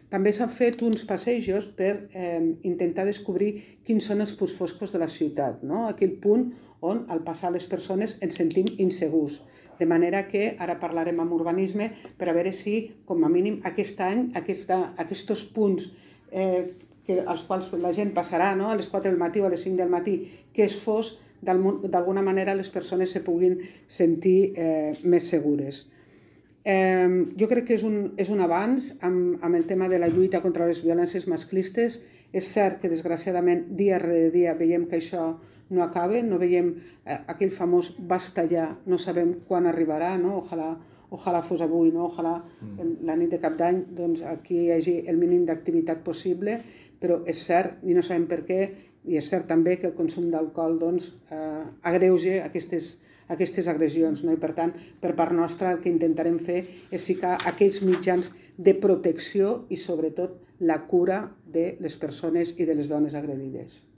També s'han fet uns passejos per intentar descobrir quins són els punts foscos de la ciutat, no? Aquell punt on al passar les persones ens sentim insegurs. De manera que ara parlarem amb urbanisme per a veure si, com a mínim, aquest any, aquests punts als quals la gent passarà a les 4 del matí o a les 5 del matí, que és fos, d'alguna manera les persones se puguin sentir més segures. Jo crec que és un avanç amb el tema de la lluita contra les violències masclistes. És cert que, desgraciadament, dia rere dia veiem que això no acaba, no veiem aquell famós basta ja, no sabem quan arribarà, no? Ojalà fos avui, no? Ojalà la nit de cap d'any aquí hi hagi el mínim d'activitat possible, però és cert, i no sabem per què, i és cert també que el consum d'alcohol agreuja aquestes agressions, no? I per tant, per part nostra, el que intentarem fer és ficar aquells mitjans de protecció i sobretot la cura de les persones i de les dones agredides.